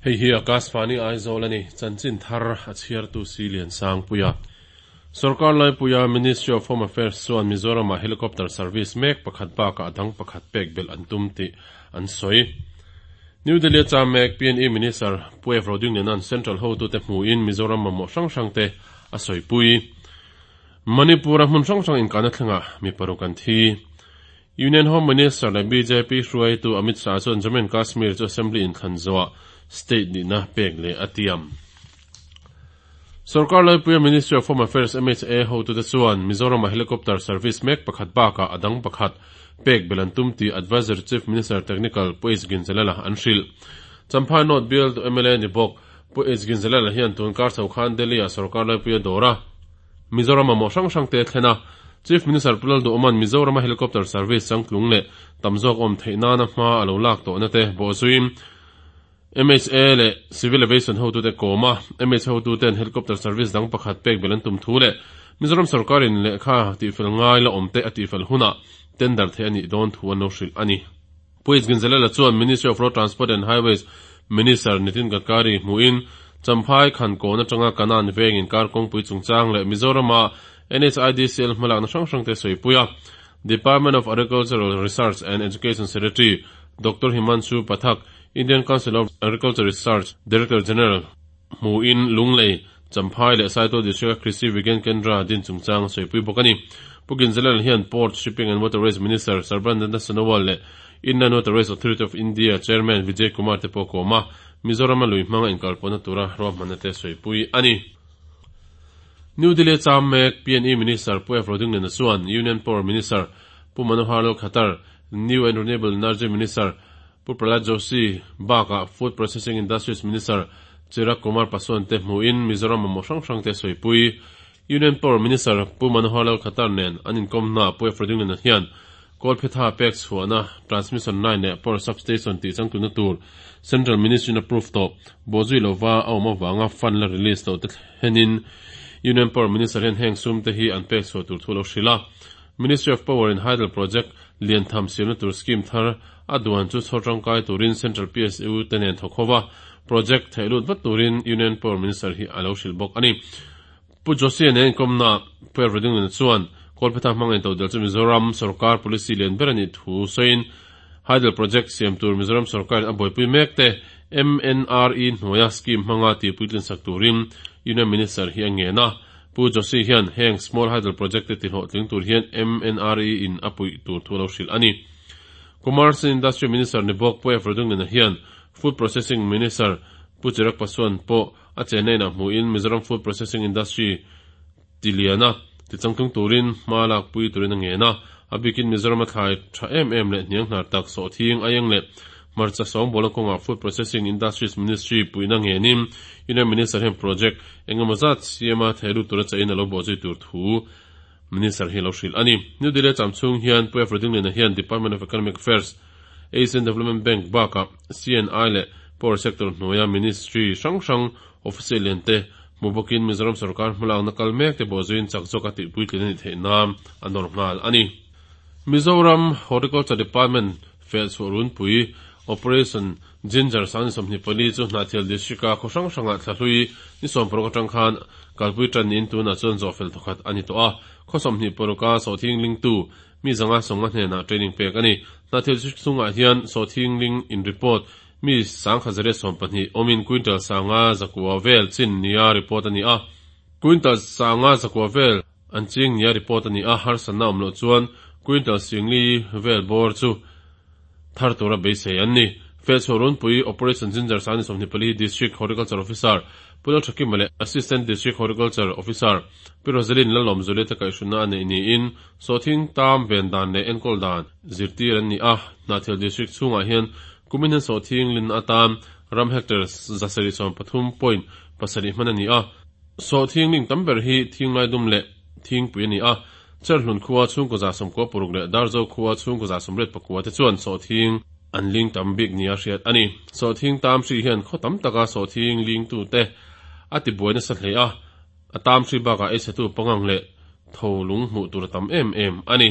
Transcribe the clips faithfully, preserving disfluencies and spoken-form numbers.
Hei hi Akashvani Aizawl ani chanchin thar a chhiartu si lian sang puia. Sarkar lai puia Ministry of Home Affairs chuan Mizoram helicopter service mek pakhat baka adang pakhat pek bel an tum ti an soi. New Delhi cha mek P N E Minister Pu Roding Lenan Central ho tu te hmu in Mizoram mo hrang hrang te a soi pui. Manipur hmun hrang hrang in kana thlenga mi paruk an thi. Union Home Minister le B J P hruai tu Amit Shah chuan Jammu and Kashmir chu Assembly in thlan zawah state ni na pek le atiam. Sarkar lai puia Ministry of Home Affairs, M H A ho tu te chuan Mizoram helicopter service mek pakhat baka adang pakhat pek belantum ti Advisor Chief Minister Technical Pu H Ginzalala an hril. Champhai North bial tu M L A ni bawk Pu H Ginzalala hian tun kar chho khan Delhi a sarkar lai puia dora Mizoram mo hrang hrang te thlena Chief Minister Pulal du Oman Mizoram helicopter service changtlung le tamzok om theina na hma alo lak to na te bo zuim M H A le Civil Aviation ho tu te koma M H ho tu ten helicopter service dang pakhat pek belan tum thu le Mizoram sarkarin le kha ti fel ngai la omte ati fel huna tender the ani don thu ano hril ani. Puis Ginzalala chuan Ministry of Road Transport and Highways Minister Nitin Gadkari hmuin Champhai khan ko na tanga kanan veng in kar kong pui chungchang le Mizorama N H I D C L hmalak na hrang hrang te soipuia. Department of Agricultural Research and Education Secretary Doctor Himanshu Pathak, Indian Council of Agriculture Research Director General mu in Lunglei, Champhai le Saitual District Krishi Vigyan Kendra din chungchang soipui bawk ani. Pukin Zelal hian Port, Shipping and Waterways Minister Sarbananda Sonowal le Inland Waterways Authority of India Chairman Vijay Kumar te pawh kawma Mizoram lui hmanga inkalpawhna tura ruahmanna te soipui ani. New Delhi cham mek P N E Minister Pu F Rodingliana chuan Union Power Minister Pu Manohar Lal Khattar, New and Renewable Energy Minister Pu Prahlad Joshi baka Food Processing Industries Minister Chirag Kumar Paswan te hmuin Mizoram mo hrang hrang te soipui. Union Power Minister Pu Manohar Lal Khattar nen an inkomna Pu F Rodingliana hian Kolphetha pek chhuahna transmission line leh power substation tih changtuna tur Central Ministry approve to bozui lova a awm awanga fund la release lo te thlenin Union Power Minister hian heng sum te hi an pek chhuah tur thu lo hrila. Ministry of Power in Hydel Project lian tham siamna tur scheme thar a duan chu chhawr tangkai turin Central P S U te nen thawk hova project theilut vat turin Union Power Minister hi alo hril bawk ani. Pu Joshi nen komna Pu Rodingliana chuan Kolphetha hmangin to del chu Mizoram sarkar policy lian ber ani thu soin Hydel Project siam tur Mizoram sarkar a buaipui mek te M N R E hnuaia scheme hmanga ti puitlin sak turin Union Minister hi a nge na. Pu Joshi hian heng small hydel project te ti hlawhtling tur hian M N R E in a pui tur thu lo hril ani. Commerce and Industry Minister ni bawk Pu F Rodingliana hian Food Processing Minister Pu Chirag Paswan pawh a chenna in a hmuin Mizoram food processing industry tiliana ti changtlung turin hma lak pui turin a nge na. A bikin Mizoram a thlai tha em em le hniang hnar tak sawh thing ayeng le hmarcha sawng bola kawnga Food Processing Industries Ministry puina ngenin Union Minister hian project engemaw zat siama theilut tura chain alo bawhzui tur thu Minister hi lo hril ani. New Delhi cham chhung hian Pu F Rodingliana hian Department of Economic Affairs, Asian Development Bank baka C N I le Power Sector hnuaia Ministry hrang hrang official lian te hmu bawkin Mizoram sarkar hmalak na kal mek te bawhzuiin chak zawk a tih puitlin ani theih nan a nawr nghal ani. Mizoram Horticulture Department fel chhuah runpui Operation Ginger sang sawmhnih pali chu Hnahthial District a khaw hrang hrangah thlahlui ni sawm paruk atang khan kalpui tan in tunah chuan zawh fel thawkhat ani tawh a. Khaw sawmhnih paruka sawhthing ling tu mi zanga sawnga hnenah training pek ani. Hnahthial District chungah hian sawhthing ling in report mi sangkhat zariat sawm pahnih awmin quintal sanga zakua vel chin nia report ani a. Quintal sanga zakua vel an ching nia report ani a. Harsatna awm loh chuan quintal singli vel bawr chu thar tura beisei an ni. Fel chhuah runpui Operation Ginger sang sawmhnih pali District Horticulture Officer Pulal Thakima le Assistant District Horticulture Officer Pi Rosalyn Lalawm Zulia te kaihhruna a nei niin sawhthing tam ven dan leh enkawl dan zirtir an ni a. Hnahthial District chhungah hian kumin hian sawhthing lin atan ram hectare zasarih sawm pathum point pasarih hman ani a. Sawhthing ling tam ber hi thing lai dum leh thingpui ani a. Cherhlun khua chhungkaw za sawmkua paruk leh Darzo khua chhungkaw za sawmriat pakua te chuan sawhthing an ling tam bik nia hriat ani. Sawhthing tam hri hian khaw tam taka sawhthing ling tu te a ti buai nasa hle a. A tam hri bakah ei chhetu pangang leh tho lung hmuh tur a tam em em ani.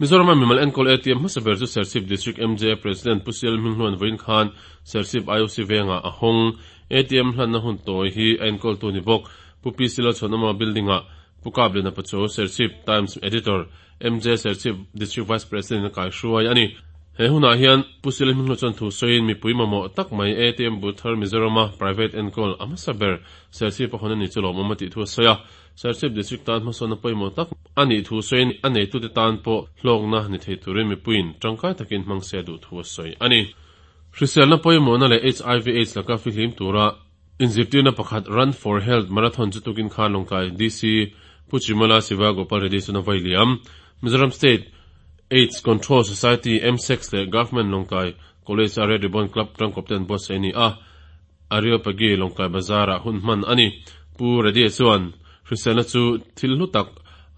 Mizoram mimal enkawl A T M hmasa ber chu Serchhip District M J A President Pu C L Hminghluan vawiin khan Serchhip I O C venga a hawng. A T M hlanna hun tawi hi a enkawltu ni bawk Pu P C Lalchhuanawma building ah Pu Kapliana Pachuau, Serchhip Times Editor, M J Serchhip District Vice President a kaihruai a ni. He hunah hian Pu C L Hminghlu chuan thu sawiin mipui mamawh tak mai A T M booth thar Mizorama private enkawl a hmasa ber Serchhip a hawn ani chu lawmawm a tih thu a sawi a. Serchhip District tan hmasawnna pawimawh tak ani thu sawiin a neitute tan pawh hlawkna ni thei turin mipuiin tangkai takin hmang se duh thu a sawi ani. Hriselna pawimawhna leh H I V AIDS laka fihlim tura inzirtirna pakhat Run for Health Marathon chu tukin khan Lawngtlai D C Pu Chimala Siva Gopal Reddy chuna vai liam. Mizoram State AIDS Control Society M S E C leh Government Lawngtlai College a Red Ribbon Club tangkawp ten buatsaih ani a. Areopagi Lawngtlai Bazar ah hun hman ani. Pu Reddy chuan hriselna chu thil hlu tak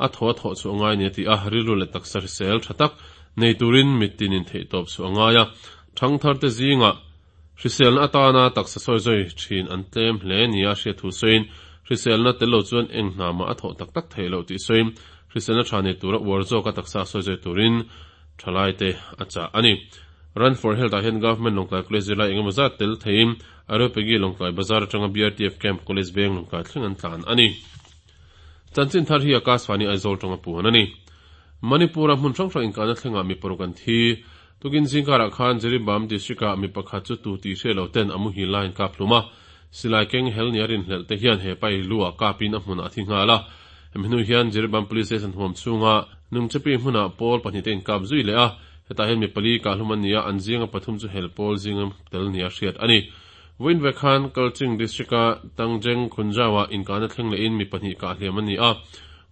a thaw a thawh chu angai ni a ti a. Rilru leh taksa hrisel tha tak nei turin mitinin theih tawp chu angai a. Thangthar te zinga hriselna atana taksa sawi zui thin an tlem hle ni a hriat thu sawiin hriselna tello chuan eng hna mah a thawh tak tak theih loh tih sawiin hriselna tha nei tura uar zawk a taksa sawi zui turin thalai te a chah ani. Run for Health ah hian Government Lawngtlai College zirlai engemaw zat tel theiin Areopagi Lawngtlai Bazar atanga B R T F Camp, College Veng, Lawngtlai thleng an tlan ani. Chanchin thar hi Akashvani Aizawl tanga puan ani. Manipur a hmun hrang hrang inkahna thlengah mi paruk an thi. Tukin zingkarah khan Jiribam District ah mi pakhat chu tu tih hriat lo ten a muhil laiin kap hlum a. Silai keng hel ni a rinhlelh te hian he pai lu ah kapin a hmunah a thi nghal a. Hemi hnu hian Jiribam Police Station huam chhunga Nungchepi hmunah pawl pahnih te inkap zui leh a. Hetah hian mi pali kah hlum an ni a, an zinga pathum chu hel pawl zinga tel ni a hriat ani. Vawiin vek khan Kakching District a Tangjeng Khunjawa inkahna thleng lehin mi pahnih kah hliam an ni a.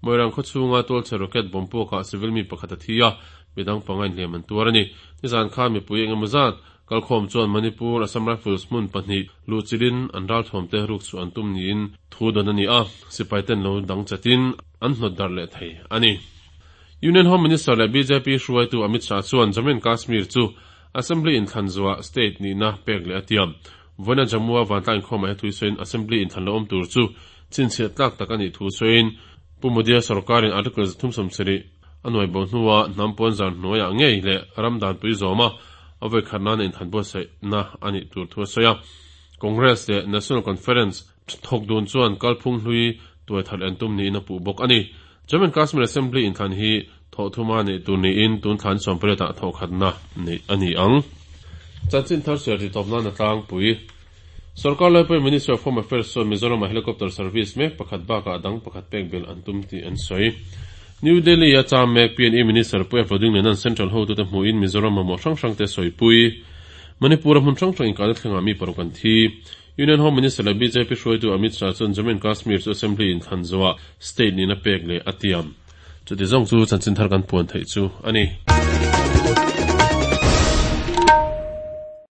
Moirang khaw chhunga tualchhe rocket bomb puakah civil mi pakhat a thi a, midang panga inhliam an tuar ani. Nizan khan mipui engemaw zat kalkhawm chuan Manipur Assam Rifles hmun pahnih luhchilhin an ralthuam te ruk chu an tum niin thu dawn ani a. Sipai ten lo dang chatin an hnawt darh leh thei ani. Union Home Minister leh B J P hruaitu Amit Shah chuan Jammu and Kashmir chu Assembly inthlan zuah state nihna pek leh a tiam. Vawiina Jammu a vantlang inkhawmah he thui sawiin Assembly inthlan lo awm tur chu chhinchhiah tlak tak ani thu sawiin Pu Modi-a sarkarin Article thum sawmsarih a nuai bo hnuah hnam pawn zar hnuaiah ngei leh ram danpui zawma a vawi khat nana inthlan buatsaihna ani tur thu a sawi a. Congress leh National Conference thawk dun chuan kalphung hlui tuai thar en tum niin a puh bawk ani. Jammu and Kashmir Assembly inthlan hi thawh thuma nei tur niin tun thlan sawmpariat ah thawh khatna nei ani ang. Chanchin thar chhiar ti tawp nan a tlangpui. Sarkar laipui Ministry of Home Affairs chuan Mizoram a helicopter service mek pakhat bakah dang pakhat pek belh an tum tih an sawi. New Delhi a cham mek P and E Minister Pu F Rodingliana'n Central hotute hmuhin Mizoram mamawh hrang hrang te sawipui. Manipur a hmun hrang hrang inkahna thlengah mi paruk an thi. Union Home Minister leh B J P hruaitu Amit Shah chuan Jammu and Kashmir chu Assembly inthlan zuah state nihna pek leh a tiam. Chuti zawng chu chanchin thar kan puan theih chu ani.